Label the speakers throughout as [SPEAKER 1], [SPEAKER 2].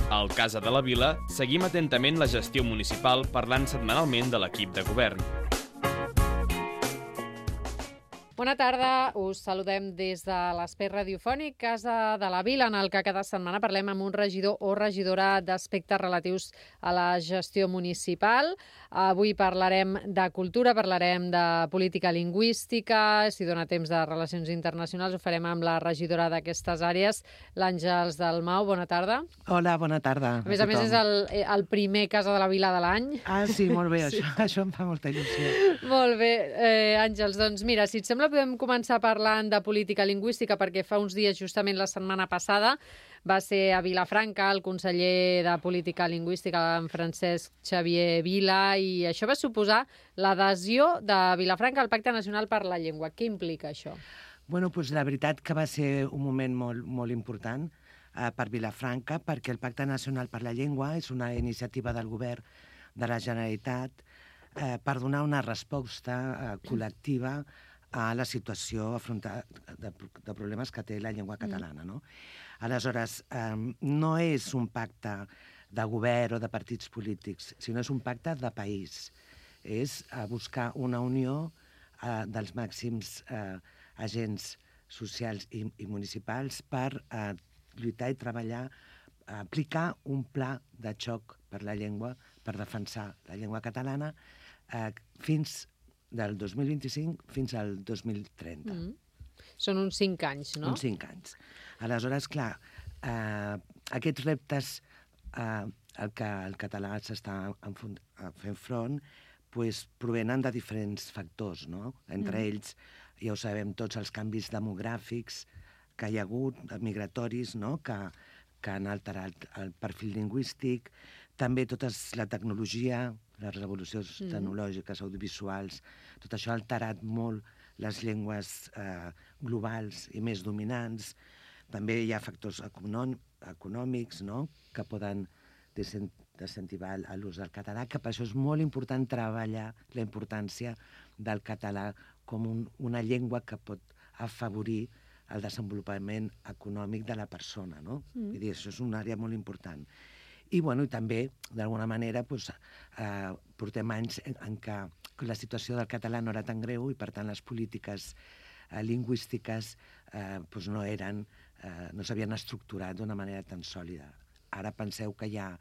[SPEAKER 1] Al Casa de la Vila seguim atentament la gestió municipal parlant setmanalment de l'equip de govern.
[SPEAKER 2] Bona tarda, us saludem des de l'espai radiofònic Casa de la Vila, en el que cada setmana parlem amb un regidor o regidora d'aspectes relatius a la gestió municipal. Avui parlarem de cultura, parlarem de política lingüística, si dona temps de relacions internacionals, ho farem amb la regidora d'aquestes àrees, l'Àngels Dalmau. Bona tarda.
[SPEAKER 3] Hola, bona tarda.
[SPEAKER 2] A més, és el primer Casa de la Vila de l'any.
[SPEAKER 3] Ah, sí, molt bé,
[SPEAKER 2] Sí.
[SPEAKER 3] Això em fa molta il·lusió.
[SPEAKER 2] Molt bé, Àngels, doncs mira, si et sembla podem començar parlant de política lingüística, perquè fa uns dies, justament la setmana passada, va ser a Vilafranca el conseller de Política Lingüística, en Francesc Xavier Vila, i això va suposar l'adhesió de Vilafranca al Pacte Nacional per la Llengua. Què implica això?
[SPEAKER 3] Bueno, doncs la veritat que va ser un moment molt, molt important per Vilafranca, perquè el Pacte Nacional per la Llengua és una iniciativa del govern de la Generalitat per donar una resposta col·lectiva a la situació de problemes que té la llengua catalana, no? Aleshores, no és un pacte de govern o de partits polítics, sinó és un pacte de país. És buscar una unió dels màxims agents socials i municipals per lluitar i treballar, aplicar un pla de xoc per la llengua, per defensar la llengua catalana fins del 2025 fins al 2030.
[SPEAKER 2] Són uns 5 anys, no?
[SPEAKER 3] Uns 5 anys. Aleshores, clar, aquests reptes al que el català s'està fent front provenen de diferents factors, no? Entre ells, ja ho sabem tots, els canvis demogràfics que hi ha hagut, migratoris, no? Que han alterat el perfil lingüístic, també tota la tecnologia, les revolucions tecnològiques, audiovisuals, tot això ha alterat molt les llengües globals i més dominants. També hi ha factors econòmics, no?, que poden desincentivar l'ús del català, que per això és molt important treballar la importància del català com una llengua que pot afavorir el desenvolupament econòmic de la persona, no? Vull dir, això és una àrea molt important. I, bueno, i també, d'alguna manera, portem anys en què la situació del català no era tan greu i, per tant, les polítiques lingüístiques no s'havien estructurat d'una manera tan sòlida. Ara penseu que hi ha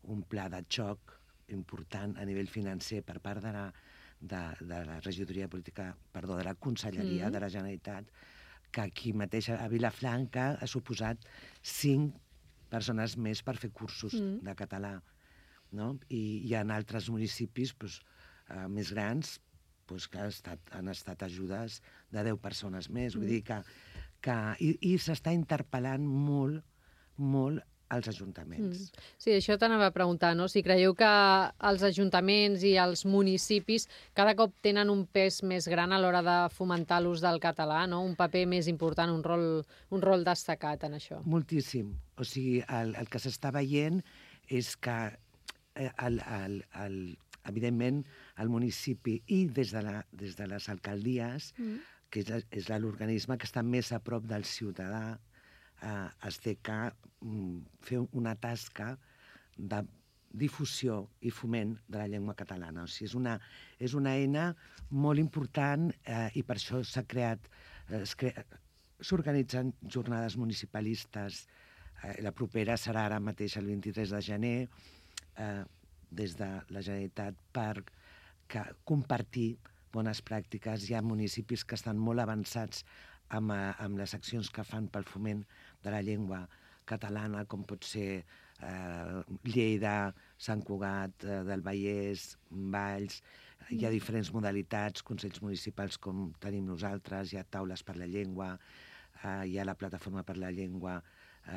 [SPEAKER 3] un pla de xoc important a nivell financer per part de la regidoria política, perdó, de la Conselleria de la Generalitat, que aquí mateix a Vilafranca ha suposat 5 persones més per fer cursos de català, no? I en altres municipis més grans que han estat ajudes de 10 persones més. Vull dir i s'està interpel·lant molt, molt als ajuntaments.
[SPEAKER 2] Sí, això t'anava a preguntar, no? Si creieu que els ajuntaments i els municipis cada cop tenen un pes més gran a l'hora de fomentar l'ús del català, no? Un paper més important, un rol destacat en això.
[SPEAKER 3] Moltíssim. O sigui, el que s'està veient és que, evidentment, el municipi i des de les alcaldies, que és l'organisme que està més a prop del ciutadà, es té que fer una tasca de difusió i foment de la llengua catalana. O sigui, és una eina molt important i per això s'organitzen jornades municipalistes. La propera serà ara mateix el 23 de gener des de la Generalitat per compartir bones pràctiques. Hi ha municipis que estan molt avançats amb les accions que fan pel foment de la llengua catalana, com pot ser Lleida, Sant Cugat del Vallès, Valls. Hi ha diferents modalitats, consells municipals com tenim nosaltres, hi ha taules per la llengua, hi ha la plataforma per la llengua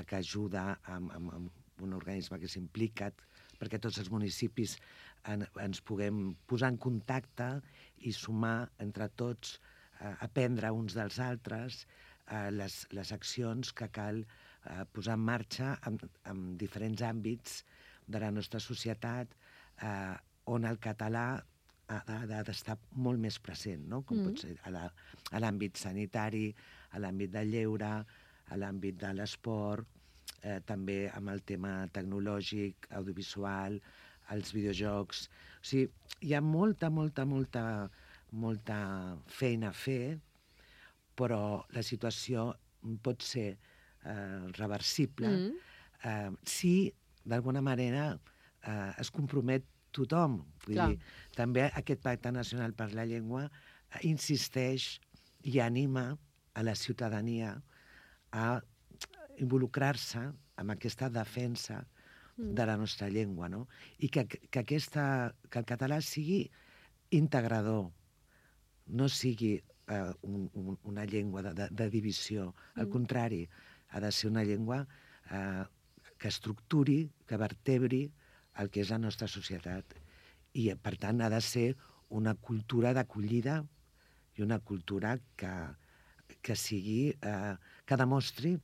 [SPEAKER 3] que ajuda amb un organisme que s'implica perquè tots els municipis ens puguem posar en contacte i sumar entre tots, aprendre uns dels altres les accions que cal posar en marxa en diferents àmbits de la nostra societat on el català ha d'estar molt més present, no? Com pot ser a l'àmbit sanitari, a l'àmbit del lleure, a l'àmbit de l'esport, també amb el tema tecnològic, audiovisual, els videojocs. O sigui, hi ha molta feina a fer, però la situació pot ser reversible si, d'alguna manera, es compromet tothom. Vull dir, també aquest Pacte Nacional per la Llengua insisteix i anima a la ciutadania a involucrar-se en aquesta defensa de la nostra llengua, no? I que el català sigui integrador, no sigui una llengua de divisió. Al contrari, ha de ser una llengua que estructuri, que vertebri el que és la nostra societat. I, per tant, ha de ser una cultura d'acollida i una cultura que sigui, que demostri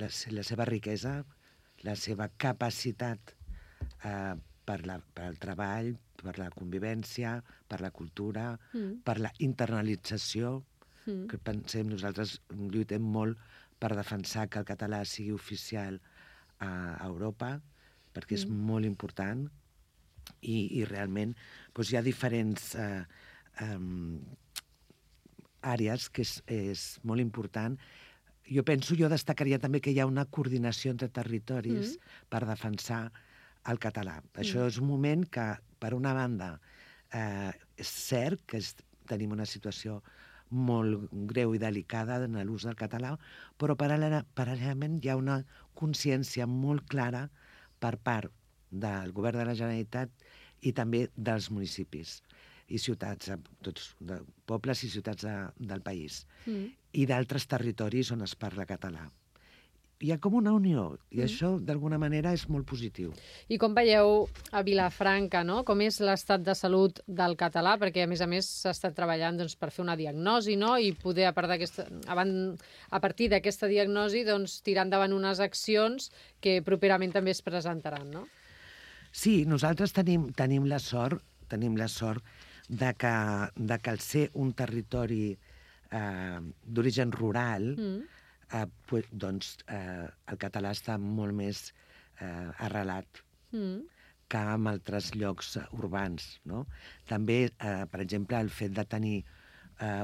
[SPEAKER 3] la seva riquesa, la seva capacitat per al treball, per la convivència, per la cultura, per la internalització, que pensem, nosaltres lluitem molt per defensar que el català sigui oficial a Europa, perquè és molt important, i realment doncs, hi ha diferents àrees que és molt important. Jo destacaria també que hi ha una coordinació entre territoris per defensar el català. Això és un moment que, per una banda, és cert que tenim una situació molt greu i delicada en l'ús del català, però paral·lelament hi ha una consciència molt clara per part del govern de la Generalitat i també dels municipis i ciutats, de pobles i ciutats del país, i d'altres territoris on es parla català. Hi ha com una unió, i això, d'alguna manera, és molt positiu.
[SPEAKER 2] I com veieu a Vilafranca, no? Com és l'estat de salut del català? Perquè, a més, s'ha estat treballant per fer una diagnosi, no? I poder, a partir d'aquesta diagnosi, tirar endavant unes accions que properament també es presentaran, no?
[SPEAKER 3] Sí, nosaltres tenim la sort de que al ser un territori d'origen rural, el català està molt més arrelat que en altres llocs urbans, no? També, per exemple, el fet de tenir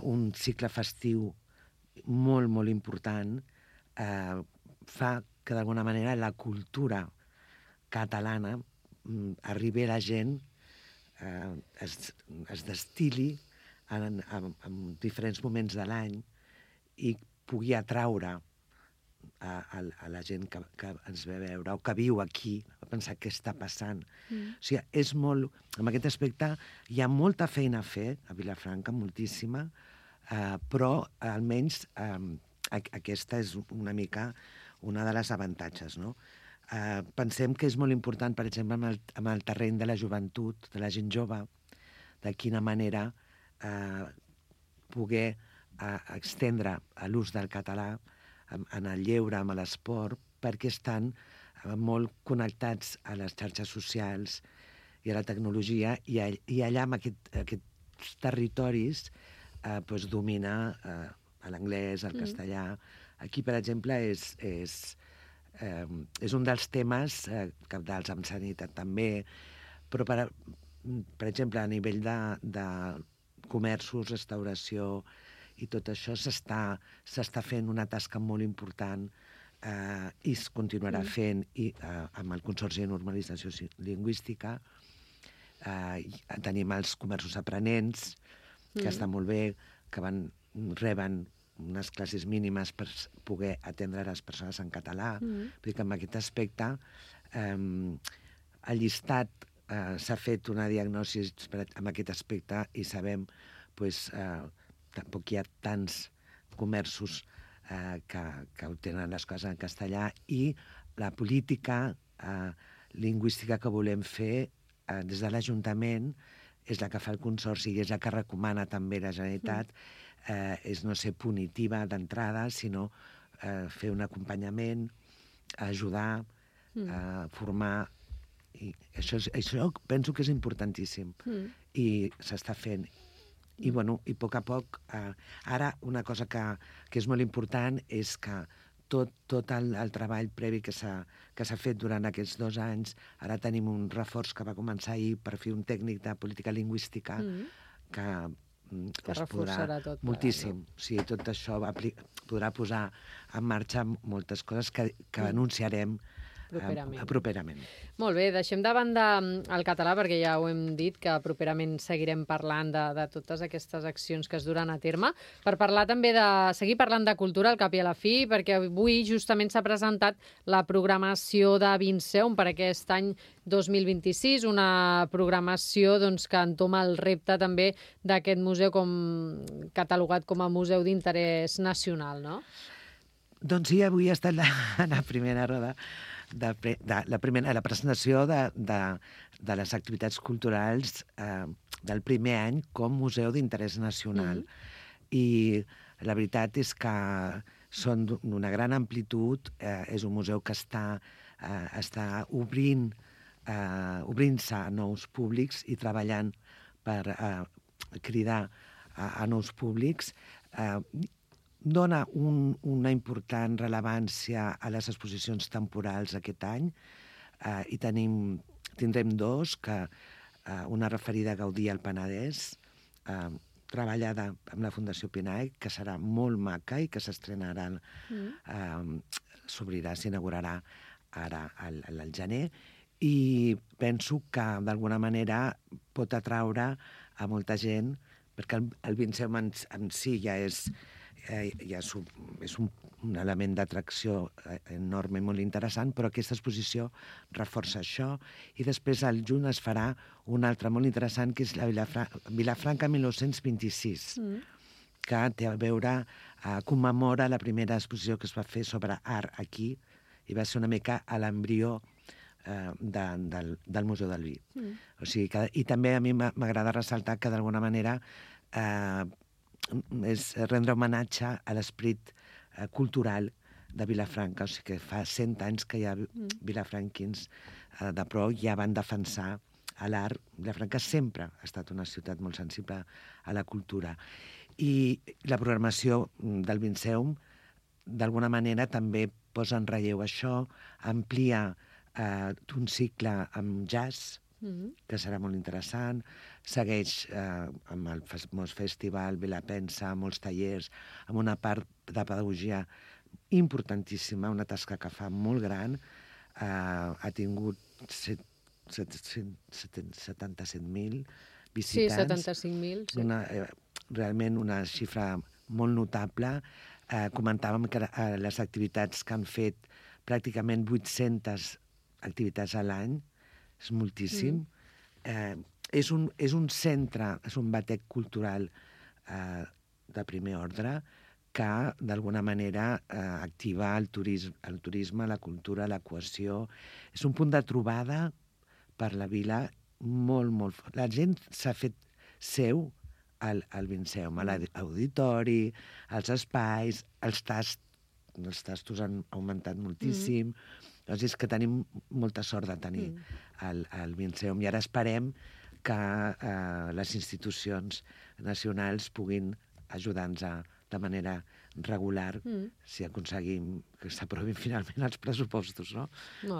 [SPEAKER 3] un cicle festiu molt, molt important fa que, d'alguna manera, la cultura catalana arribi a la gent, es destili en diferents moments de l'any i pugui atraure a la gent que ens ve a veure o que viu aquí, a pensar què està passant. O sigui, és molt... En aquest aspecte hi ha molta feina a fer a Vilafranca, moltíssima, però almenys aquesta és una mica una de les avantatges, no? Pensem que és molt important, per exemple, amb el terreny de la joventut, de la gent jove, de quina manera poder extendre l'ús del català en el lleure, en l'esport, perquè estan molt connectats a les xarxes socials i a la tecnologia, i allà, en aquests territoris, domina l'anglès, el castellà. Aquí, per exemple, és un dels temes cabdals, amb sanitat també, però, per exemple, a nivell de comerços, restauració i tot això, s'està fent una tasca molt important i es continuarà fent amb el Consorci de Normalització Lingüística. Tenim els comerços aprenents, que està molt bé, que reben unes classes mínimes per poder atendre les persones en català. Vull dir que en aquest aspecte el llistat s'ha fet una diagnosi en aquest aspecte i sabem tampoc hi ha tants comerços que obtenen les coses en castellà, i la política lingüística que volem fer des de l'Ajuntament és la que fa el Consorci i és la que recomana també la Generalitat, és no ser punitiva d'entrada, sinó fer un acompanyament, ajudar, formar. I això penso que és importantíssim i s'està fent. I a poc a poc, ara una cosa que és molt important és que tot el treball previ que s'ha fet durant aquests 2 anys. Ara tenim un reforç que va començar ahir per fer un tècnic de política lingüística que es
[SPEAKER 2] reforçarà tot plegat,
[SPEAKER 3] moltíssim. O sigui, tot això podrà posar en marxa moltes coses que anunciarem properament.
[SPEAKER 2] Molt bé, deixem de banda el català perquè ja ho hem dit que properament seguirem parlant de totes aquestes accions que es duran a terme per parlar també seguir parlant de cultura al cap i a la fi, perquè avui justament s'ha presentat la programació de Vinceum per aquest any 2026, una programació que entoma el repte també d'aquest museu catalogat com a museu d'interès nacional, no?
[SPEAKER 3] Doncs sí, avui ha estat la primera roda la presentació de les activitats culturals del primer any com museu d'interès nacional. I la veritat és que són d'una gran amplitud, és un museu que està obrint-se a nous públics i treballant per cridar a nous públics. Dona una important rellevància a les exposicions temporals aquest any i tindrem 2, una referida a Gaudí al Penedès, treballada amb la Fundació Pinaic, que serà molt maca i que s'estrenarà, s'inaugurarà ara al gener, i penso que d'alguna manera pot atraure a molta gent, perquè el Vinceum en si ja és un element d'atracció enorme, molt interessant, però aquesta exposició reforça això. I després al juny es farà una altra molt interessant, que és la Vilafranca 1926, que té a veure, commemora la primera exposició que es va fer sobre art aquí, i va ser una mica a l'embrió del Museu del Vi. I també a mi m'agrada ressaltar que d'alguna manera és rendre homenatge a l'esperit cultural de Vilafranca. O sigui que fa 100 anys que hi ha vilafranquins de pro ja van defensar l'art. Vilafranca sempre ha estat una ciutat molt sensible a la cultura. I la programació del Vinceum d'alguna manera també posa en relleu això, amplia un cicle amb jazz, que serà molt interessant, segueix amb el famós festival Vilapensa, molts tallers, amb una part de pedagogia importantíssima, una tasca que fa molt gran, ha tingut 77.000 visitants.
[SPEAKER 2] Sí, 75.000. Sí.
[SPEAKER 3] Realment una xifra molt notable. Comentàvem que les activitats que han fet pràcticament 800 activitats a l'any, és moltíssim. És un centre, és un batec cultural de primer ordre que, d'alguna manera, activa el turisme, la cultura, la cohesió. És un punt de trobada per la vila molt, molt fort. La gent s'ha fet seu al Vinceum, a l'auditori, als espais, els tastos han augmentat moltíssim. Doncs és que tenim molta sort de tenir el Vinceum i ara esperem que les institucions nacionals puguin ajudar-nos de manera regular si aconseguim que s'aprovin finalment els pressupostos, no?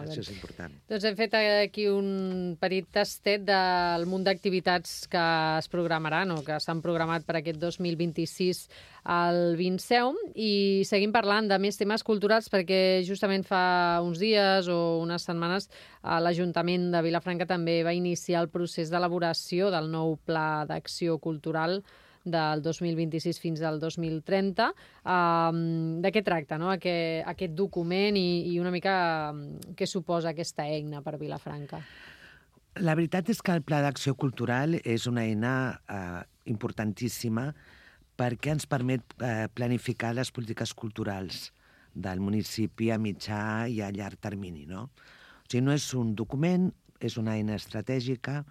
[SPEAKER 3] Això és important.
[SPEAKER 2] Doncs hem fet aquí un petit tastet del munt d'activitats que es programaran o que s'han programat per aquest 2026 al Vinceum i seguim parlant de més temes culturals perquè justament fa uns dies o unes setmanes l'Ajuntament de Vilafranca també va iniciar el procés d'elaboració del nou Pla d'Acció Cultural del 2026 fins al 2030. De què tracta, no? Aquest document i una mica què suposa aquesta eina per Vilafranca?
[SPEAKER 3] La veritat és que el Pla d'Acció Cultural és una eina importantíssima perquè ens permet planificar les polítiques culturals del municipi a mitjà i a llarg termini, no? O sigui, no és un document, és una eina estratègica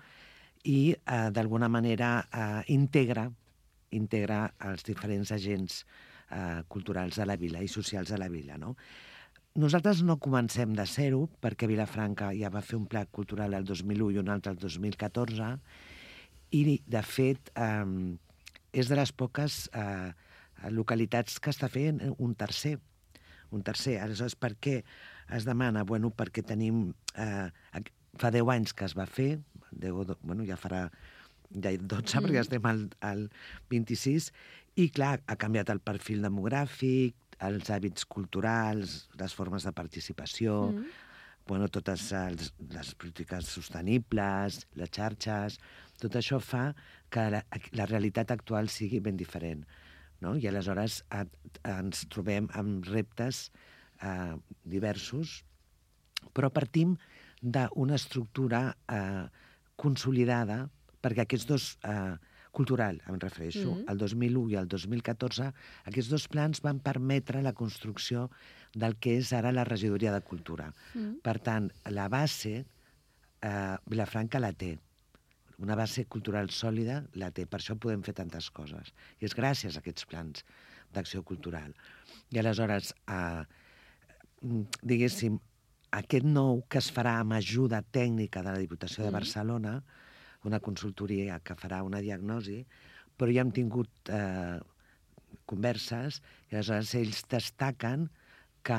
[SPEAKER 3] i, d'alguna manera, integra els diferents agents culturals de la vila i socials de la vila, no? Nosaltres no comencem de zero, perquè Vilafranca ja va fer un pla cultural el 2001 i un altre el 2014, i, de fet, és de les poques localitats que està fent un un tercer. Aleshores, per què es demana? Bueno, perquè tenim... fa 10 anys que es va fer, ja farà ja 12, perquè estem al 26, i clar, ha canviat el perfil demogràfic, els hàbits culturals, les formes de participació, totes les polítiques sostenibles, les xarxes, tot això fa que la realitat actual sigui ben diferent. No? I aleshores ens trobem amb reptes diversos, però partim d'una estructura consolidada, perquè aquests dos, cultural, em refereixo, el 2001 i el 2014, aquests dos plans van permetre la construcció del que és ara la regidoria de cultura. Per tant, la base, Vilafranca la té. Una base cultural sòlida la té, per això podem fer tantes coses. I és gràcies a aquests plans d'acció cultural. I aleshores, diguéssim, aquest nou que es farà amb ajuda tècnica de la Diputació de Barcelona, una consultoria que farà una diagnosi, però ja hem tingut converses i aleshores ells destaquen que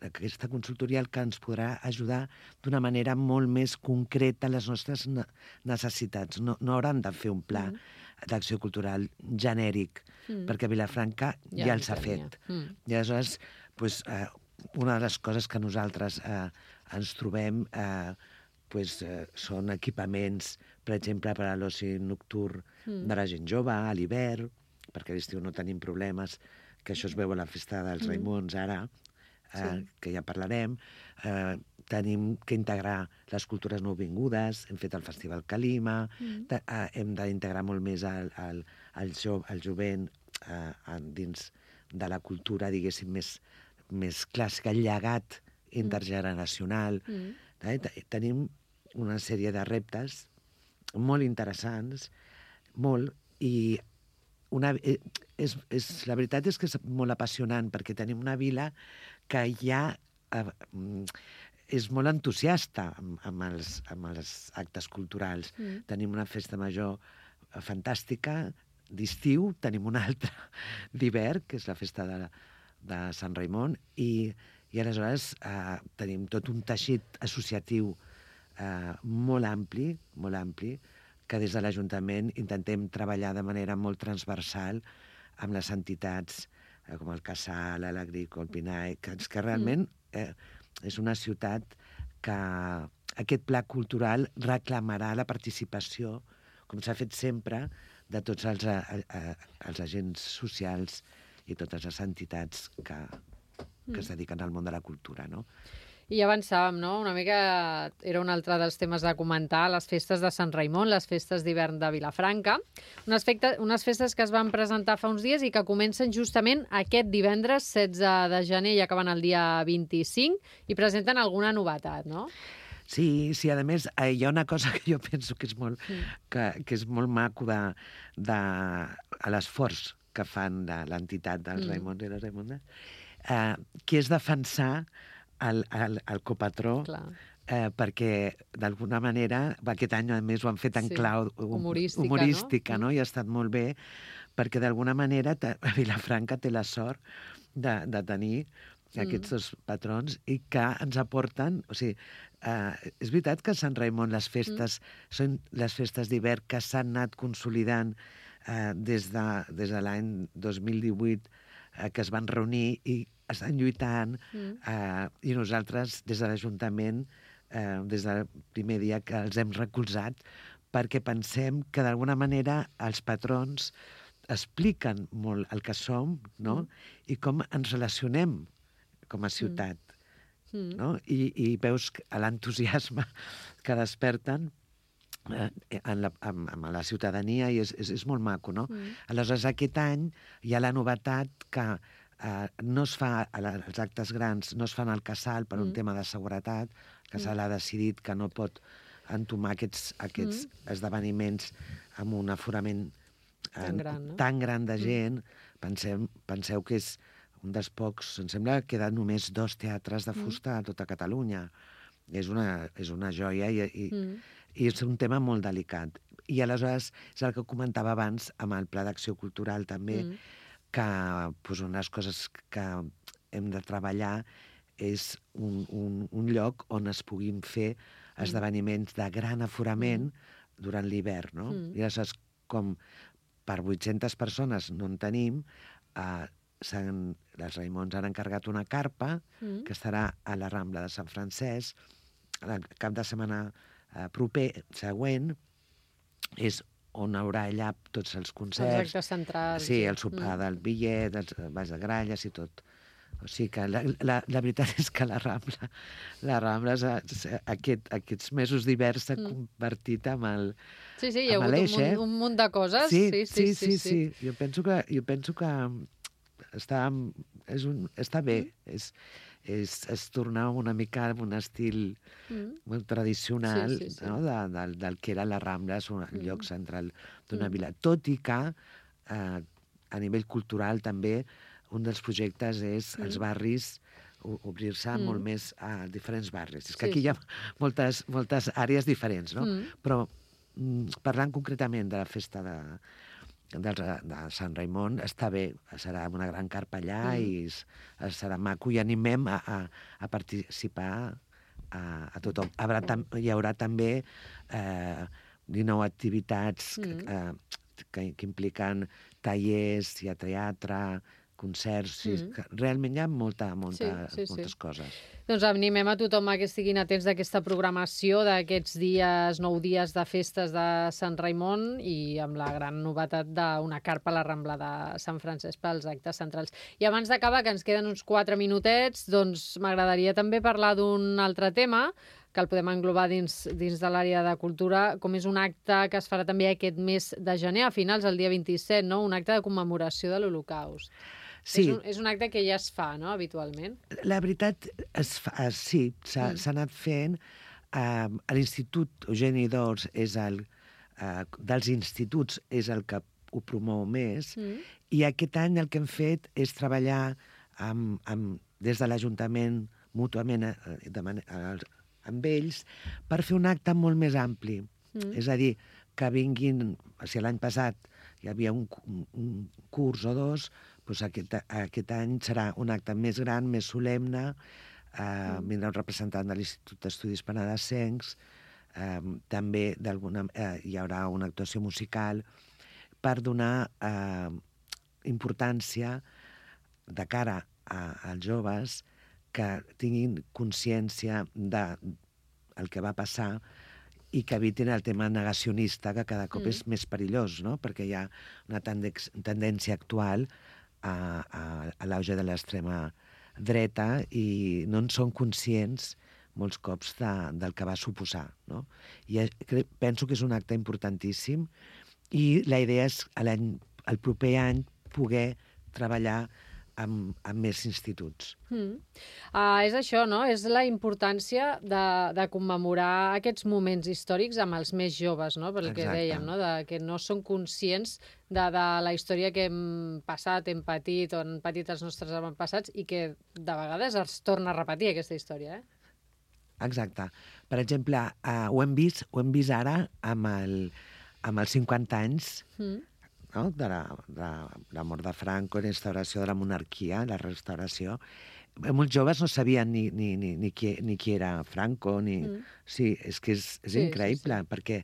[SPEAKER 3] aquesta consultoria el que ens podrà ajudar d'una manera molt més concreta a les nostres necessitats. No hauran de fer un pla d'acció cultural genèric, perquè Vilafranca ja els ha fet. I aleshores, una de les coses que nosaltres ens trobem són equipaments, per exemple, per a l'oci nocturn de la gent jove, a l'hivern, perquè a l'estiu no tenim problemes, que això es veu a la festa dels Raimons ara, que ja parlarem. Tenim que integrar les cultures nouvingudes, hem fet el Festival Calima, hem d'integrar molt més el jovent dins de la cultura, diguéssim, més clàssica, el llegat intergeneracional. Tenim una sèrie de reptes molt interessants, i la veritat és que és molt apassionant, perquè tenim una vila que ja és molt entusiasta amb els actes culturals. Tenim una festa major fantàstica d'estiu, tenim una altra d'hivern, que és la festa de Sant Raimon, i aleshores tenim tot un teixit associatiu molt ampli, que des de l'Ajuntament intentem treballar de manera molt transversal amb les entitats com el Casal, l'Agric, el Pinai, que realment és una ciutat que aquest pla cultural reclamarà la participació, com s'ha fet sempre, de tots els agents socials i totes les entitats que es dediquen al món de la cultura, no?
[SPEAKER 2] I ja avançàvem, no? Una mica era un altre dels temes de comentar, les festes de Sant Raimon, les festes d'hivern de Vilafranca, unes festes que es van presentar fa uns dies i que comencen justament aquest divendres, 16 de gener, i acaben el dia 25, i presenten alguna novetat, no?
[SPEAKER 3] Sí, a més, hi ha una cosa que jo penso que és molt maco a l'esforç que fan de l'entitat dels Raimons i les Raimondes, que és defensar el copatró, perquè d'alguna manera, aquest any a més ho han fet en clau humorística, no? I ha estat molt bé, perquè d'alguna manera Vilafranca té la sort de tenir aquests dos patrons i que ens aporten... O sigui, és veritat que a Sant Raimon les festes són les festes d'hivern que s'han anat consolidant des de l'any 2018, que es van reunir i estan lluitant, i nosaltres, des de l'Ajuntament, des del primer dia que els hem recolzat, perquè pensem que d'alguna manera els patrons expliquen molt el que som, no? I com ens relacionem com a ciutat, no? I veus l'entusiasme que desperten amb la ciutadania, i és molt maco, no? Aleshores, aquest any hi ha la novetat que no es fa, els actes grans no es fan al Casal per un tema de seguretat. El Casal ha decidit que no pot entomar aquests esdeveniments amb un aforament tan gran de gent. Penseu que és un dels pocs, em sembla que queden només 2 teatres de fusta a tota Catalunya. És una joia i és un tema molt delicat. I aleshores, és el que comentava abans amb el Pla d'Acció Cultural també, que doncs, unes coses que hem de treballar és un lloc on es puguin fer esdeveniments de gran aforament durant l'hivern, no? I aleshores, com per 800 persones no en tenim, les Raimons han encarregat una carpa que estarà a la Rambla de Sant Francesc el cap de setmana següent, és on haurà allà tots els concerts.
[SPEAKER 2] Els actes centrals.
[SPEAKER 3] Sí, el sopar del Billet, els balls de gralles i tot. O sigui que la veritat és que la Rambla aquests mesos d'hivern s'ha convertit en el
[SPEAKER 2] Sí, hi ha hagut un munt de coses.
[SPEAKER 3] Sí. Jo penso que està bé. És tornar una mica a un estil molt tradicional no? del que era la Rambla, és un lloc central d'una vila. Tot i que a nivell cultural també un dels projectes és els barris, obrir-se molt més a diferents barris. És que aquí hi ha moltes àrees diferents, no? Però parlant concretament de la festa de Sant Raimon, està bé, serà una gran carpa allà i serà maco i animem a participar a tothom. Hi haurà també 19 activitats que impliquen tallers, teatre, concerts, realment hi ha moltes coses.
[SPEAKER 2] Doncs animem a tothom que estiguin atents d'aquesta programació d'aquests 9 dies de festes de Sant Raimon i amb la gran novetat d'una carpa a la Rambla de Sant Francesc pels actes centrals. I abans d'acabar, que ens queden uns 4 minutets, doncs m'agradaria també parlar d'un altre tema que el podem englobar dins de l'àrea de cultura, com és un acte que es farà també aquest mes de gener, a finals, el dia 27, no? Un acte de commemoració de l'Holocaust. Sí. És un acte que ja es fa, no?, habitualment.
[SPEAKER 3] La veritat, sí, s'ha anat fent. L'Institut Eugeni d'Ors dels instituts és el que ho promou més, i aquest any el que hem fet és treballar des de l'Ajuntament mútuament amb ells per fer un acte molt més ampli. És a dir, que vinguin... Si l'any passat hi havia un curs o dos, doncs aquest any serà un acte més gran, més solemne, vindrà un representant de l'Institut d'Estudis Penedesencs, també hi haurà una actuació musical per donar importància de cara als joves que tinguin consciència del que va passar i que evitin el tema negacionista, que cada cop és més perillós, no? Perquè hi ha una tendència actual a l'auge de l'extrema dreta i no en són conscients molts cops del que va suposar, no? I penso que és un acte importantíssim i la idea és el proper any poder treballar amb més instituts.
[SPEAKER 2] És això, no? És la importància de commemorar aquests moments històrics amb els més joves, no? Pel que dèiem, no? Que no són conscients de la història que hem passat, hem patit, o han patit els nostres avantpassats i que de vegades es torna a repetir aquesta història,
[SPEAKER 3] Exacte. Per exemple, ho hem vist ara amb els 50 anys no? de la mort de Franco, la instauració de la monarquia, la restauració. Molts joves no sabien ni qui era Franco. Sí, és que és increïble, perquè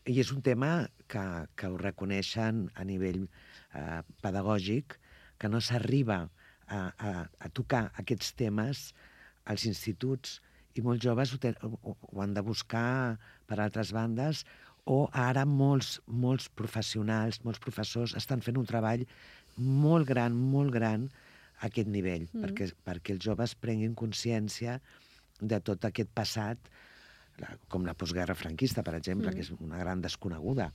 [SPEAKER 3] i és un tema que ho reconeixen a nivell pedagògic, que no s'arriba a tocar aquests temes als instituts, i molts joves ho han de buscar per altres bandes, o ara molts professionals, molts professors estan fent un treball molt gran a aquest nivell, perquè els joves prenguin consciència de tot aquest passat, com la postguerra franquista, per exemple, que és una gran desconeguda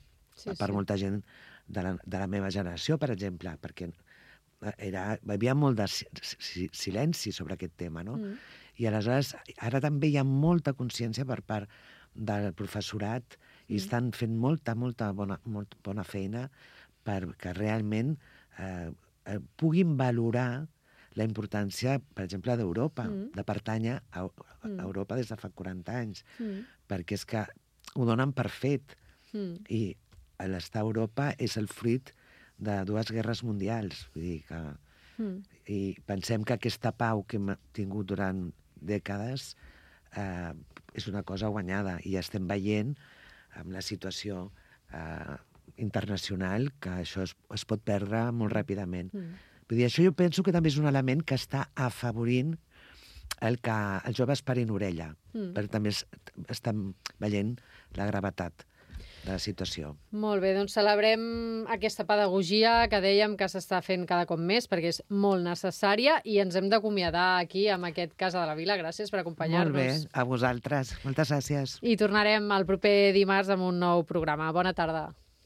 [SPEAKER 3] per molta gent de la meva generació, per exemple, perquè hi havia molt de silenci sobre aquest tema, no? I aleshores, ara també hi ha molta consciència per part del professorat i estan fent molta bona feina perquè realment puguin valorar la importància, per exemple, d'Europa, de pertànyer a Europa des de fa 40 anys, perquè és que ho donen per fet. I l'estar a Europa és el fruit de 2 guerres mundials. Vull dir que... I pensem que aquesta pau que hem tingut durant dècades és una cosa guanyada i estem veient amb la situació internacional que això es pot perdre molt ràpidament. Vull dir, això jo penso que també és un element que està afavorint el que els joves parin orella, perquè també estan veient la gravetat de la situació.
[SPEAKER 2] Molt bé, doncs celebrem aquesta pedagogia que dèiem que s'està fent cada cop més perquè és molt necessària i ens hem d'acomiadar aquí amb aquest Casa de la Vila. Gràcies per acompanyar-nos.
[SPEAKER 3] Molt bé, a vosaltres. Moltes gràcies.
[SPEAKER 2] I tornarem el proper dimarts amb un nou programa. Bona tarda.